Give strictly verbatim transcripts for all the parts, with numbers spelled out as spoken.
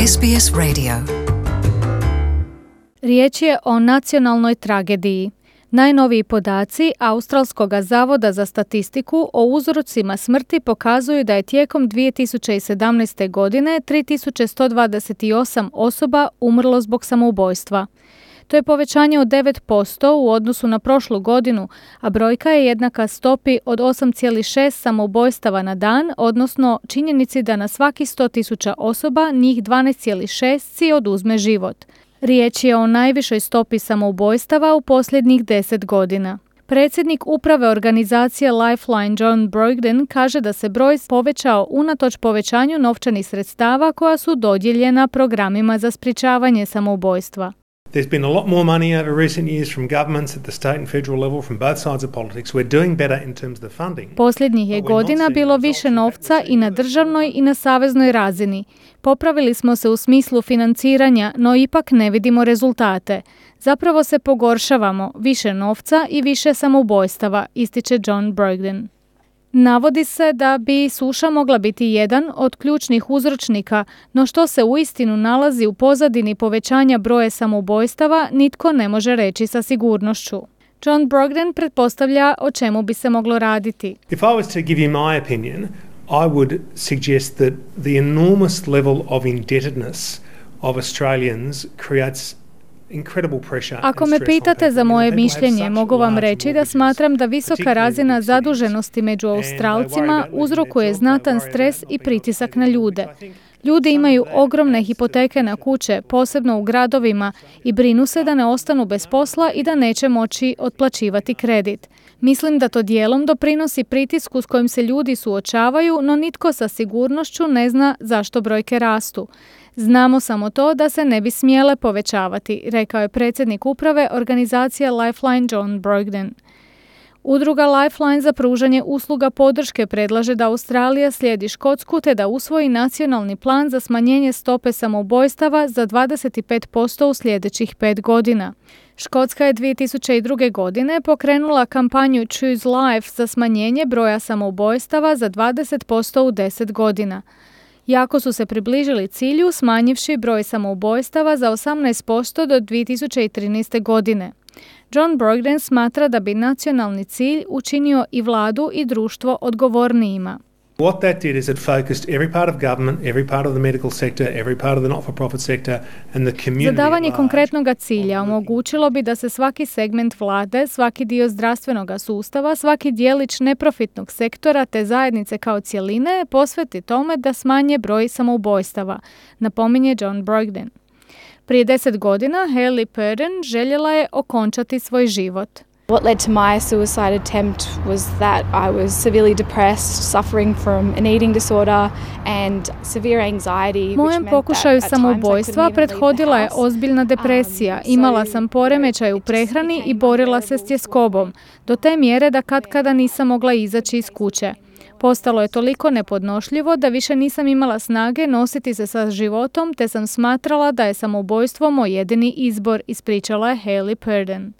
S B S Radio. Riječ je o nacionalnoj tragediji. Najnoviji podaci Australskog zavoda za statistiku o uzrocima smrti pokazuju da je tijekom dvije tisuće sedamnaeste. godine tri tisuće sto dvadeset osam osoba umrlo zbog samoubojstva. To je povećanje od devet posto u odnosu na prošlu godinu, a brojka je jednaka stopi od osam zarez šest samoubojstava na dan, odnosno činjenici da na svaki sto tisuća osoba njih dvanaest zarez šest si oduzme život. Riječ je o najvišoj stopi samoubojstava u posljednjih deset godina. Predsjednik uprave organizacije Lifeline John Brogden kaže da se broj povećao unatoč povećanju novčanih sredstava koja su dodijeljena programima za sprječavanje samoubojstva. There's been a lot more money over recent years from governments at the state and federal level, from both sides of politics. We're doing better in terms of the funding. Posljednjih je godina bilo više novca i na državnoj i na saveznoj razini. Popravili smo se u smislu financiranja, no ipak ne vidimo rezultate. Zapravo se pogoršavamo, više novca i više samoubojstava, ističe John Brogden. Navodi se da bi suša mogla biti jedan od ključnih uzročnika, no što se uistinu nalazi u pozadini povećanja broja samoubojstava nitko ne može reći sa sigurnošću. John Brogden pretpostavlja o čemu bi se moglo raditi. If I was to give you my opinion, I would suggest that the enormous level of indebtedness of Australians creates Ako me pitate za moje mišljenje, mogu vam reći da smatram da visoka razina zaduženosti među Australcima uzrokuje znatan stres i pritisak na ljude. Ljudi imaju ogromne hipoteke na kuće, posebno u gradovima, i brinu se da ne ostanu bez posla i da neće moći otplaćivati kredit. Mislim da to dijelom doprinosi pritisku s kojim se ljudi suočavaju, no nitko sa sigurnošću ne zna zašto brojke rastu. Znamo samo to da se ne bi smjele povećavati, rekao je predsjednik uprave organizacije Lifeline John Brogden. Udruga Lifeline za pružanje usluga podrške predlaže da Australija slijedi Škotsku te da usvoji nacionalni plan za smanjenje stope samoubojstava za dvadeset pet posto u sljedećih pet godina. Škotska je dvije tisuće druge. godine pokrenula kampanju Choose Life za smanjenje broja samoubojstava za dvadeset posto u deset godina. Jako su se približili cilju smanjivši broj samoubojstava za osamnaest posto do dvije tisuće trinaeste. godine. John Brogden smatra da bi nacionalni cilj učinio i vladu i društvo odgovornijima. What that did is it focused every part of government, every part of the medical sector, every part of the not-for-profit sector and the community. Zadavanje konkretnog cilja omogućilo bi da se svaki segment vlade, svaki dio zdravstvenog sustava, svaki dijelić neprofitnog sektora te zajednice kao cjeline posveti tome da smanje broj samoubojstava, napominje John Brogden. Prije deset godina Hayley Purden željela je okončati svoj život. What led to my suicide attempt was that I was severely depressed, suffering from an eating disorder and severe anxiety. Mojem pokušaju samoubojstva prethodila je ozbiljna depresija. Imala sam poremećaj u prehrani i borila se s tjeskobom, do te mjere da katkada nisam mogla izaći iz kuće. Postalo je toliko nepodnošljivo da više nisam imala snage nositi se sa životom, te sam smatrala da je samoubojstvo moj jedini izbor, ispričala je Hayley Purden.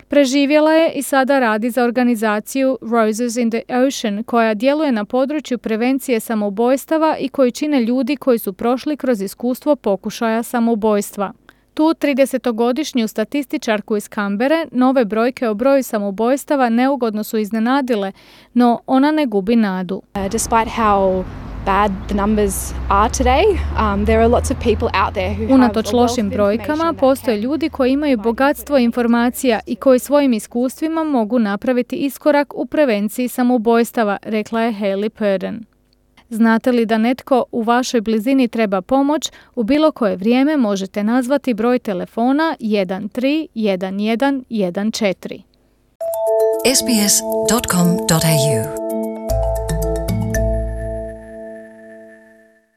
Preživjela je i sada radi za organizaciju Roses in the Ocean, koja djeluje na području prevencije samoubojstava i koju čine ljudi koji su prošli kroz iskustvo pokušaja samoubojstva. Tu tridesetogodišnju statističarku iz Canberre nove brojke o broju samoubojstava neugodno su iznenadile, no ona ne gubi nadu. Uh, despite how bad the numbers are today, um, there are lots of people out there who Unatoč have lošim brojkama, postoje ljudi koji imaju bogatstvo informacija i koji svojim iskustvima mogu napraviti iskorak u prevenciji samoubojstava, rekla je Hayley Purden. Znate li da netko u vašoj blizini treba pomoć, u bilo koje vrijeme možete nazvati broj telefona jedan tri jedan jedan jedan četiri. S B S dot com dot A U